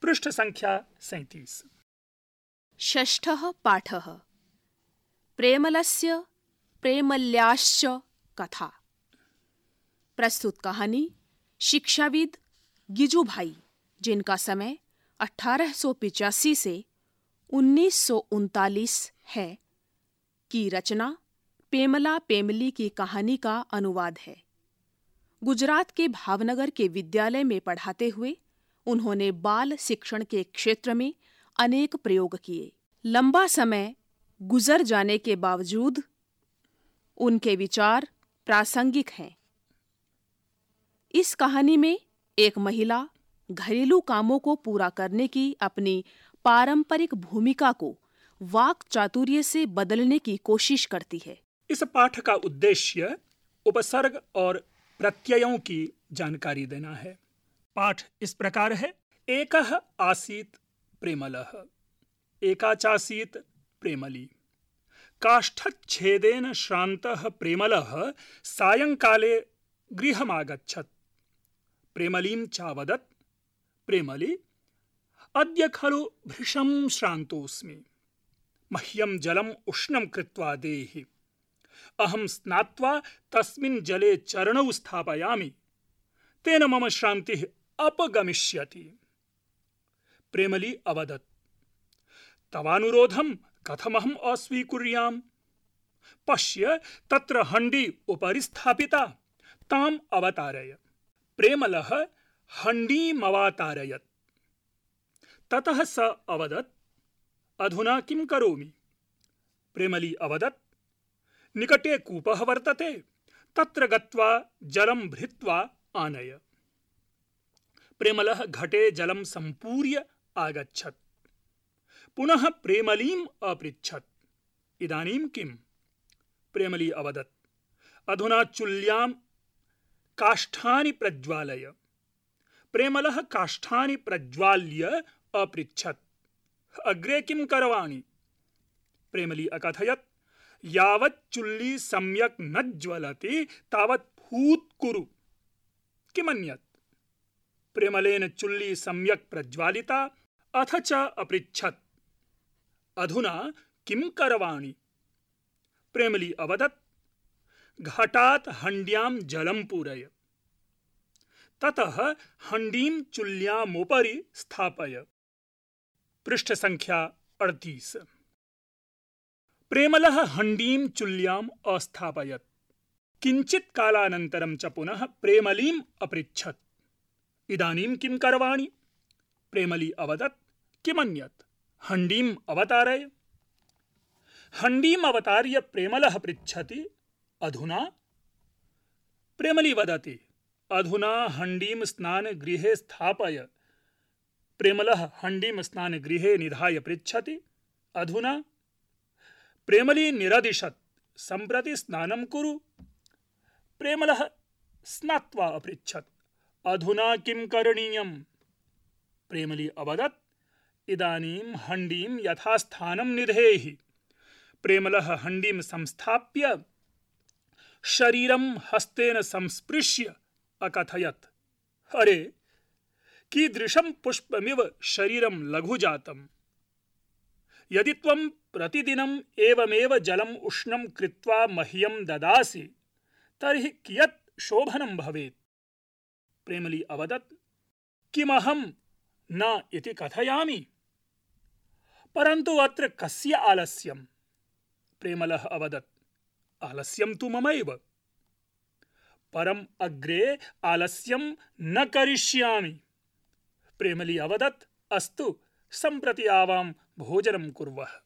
पृष्ठसङ्ख्या 37। षष्ठः पाठः प्रेमलस्य प्रेमल्याश्च कथा। प्रस्तुत कहानी शिक्षाविद गिजू भाई, जिनका समय 1885 से 1939 है, की रचना पेमला पेमली की कहानी का अनुवाद है। गुजरात के भावनगर के विद्यालय में पढ़ाते हुए उन्होंने बाल शिक्षण के क्षेत्र में अनेक प्रयोग किए। लंबा समय गुजर जाने के बावजूद उनके विचार प्रासंगिक हैं। इस कहानी में एक महिला घरेलू कामों को पूरा करने की अपनी पारंपरिक भूमिका को वाक चातुर्य से बदलने की कोशिश करती है। इस पाठ का उद्देश्य उपसर्ग और प्रत्ययों की जानकारी देना है। पाठ इस प्रकार है। एकः आसीत् प्रेमलः, एका चासीत् प्रेमली। काष्ठच्छेदेन श्रान्तः प्रेमलः सायंकाले गृहमागच्छत्। प्रेमलीं चावदत्, प्रेमली अद्य खलु भृशं श्रान्तोऽस्मि, मह्यं जलम् उष्णं कृत्वा देहि। अहं स्नात्वा तस्मिन् जले चरणौ स्थापयामि, तेन मम श्रान्तिः अपगमिष्यति। प्रेमली अवदत्, तवानुरोधं कथमहम् अस्वीकुर्याम्? पश्य, तत्र हण्डी उपरि स्थापिता, ताम् अवतारय। प्रेमलः हण्डीमवातारयत्। ततः स अवदत्, अधुना किं करोमि? प्रेमली अवदत्, निकटे कूपः वर्तते, तत्र गत्वा जलं भृत्वा आनय। प्रेमलः घटे जलं सम्पूर्य आगच्छत्। पुनः प्रेमलीम् अपृच्छत्, इदानीं किम्? प्रेमली अवदत्, अधुना चुल्यां काष्ठानि प्रज्वालय। प्रेमलः काष्ठानि प्रज्वाल्य अपृच्छत्, अग्रे किं करवाणि? प्रेमली अकथयत्, यावत् चुल्ली सम्यक् न ज्वलति तावत् फूत् कुरु। किमन्यत्? प्रेमलेन चुल्ली सम्यक् प्रज्वालिता, अथ च अपृच्छत्, अधुना किं करवाणि? प्रेमली अवदत्, घटात् हण्ड्यां जलं पूरय। ततः हण्डीं चुल्यामुपरि स्थापय। पृष्ठसङ्ख्या 38। प्रेमलः हण्डीं चुल्याम् अस्थापयत्। किञ्चित् कालानन्तरं च पुनः प्रेमलीम् अपृच्छत्, इदानीं किं करवाणि? प्रेमली अवदत्, किमन्यत्? हण्डीम् अवतारय। हण्डीम् अवतार्य प्रेमलः पृच्छति, अधुना? प्रेमली वदति, अधुना हण्डीं स्नानगृहे स्थापय। प्रेमलः हण्डीं स्नानगृहे निधाय पृच्छति, अधुना? प्रेमली निरदिशत्, सम्प्रति स्नानं कुरु। प्रेमलः स्नात्वा अपृच्छत्, अधुना किं करणीयम्? प्रेमली अवदत्, इदानीं हण्डीं यथास्थानं निधेहि। प्रेमलः हण्डीं संस्थाप्य शरीरं हस्तेन संस्पृश्य अकथयत्, अरे, कीदृशं पुष्पमिव शरीरं लघु जातम्। यदि त्वं प्रतिदिनम् एवमेव जलम् उष्णं कृत्वा मह्यं ददासि, तर्हि कियत् शोभनं भवेत्। प्रेमली अवदत्, किमहं न इति कथयामि, परन्तु अत्र कस्य आलस्यम्? प्रेमलः अवदत्, आलस्यं तु ममैव, परम् अग्रे आलस्यं न करिष्यामि। प्रेमली अवदत्, अस्तु, सम्प्रति आवां भोजनं कुर्वः।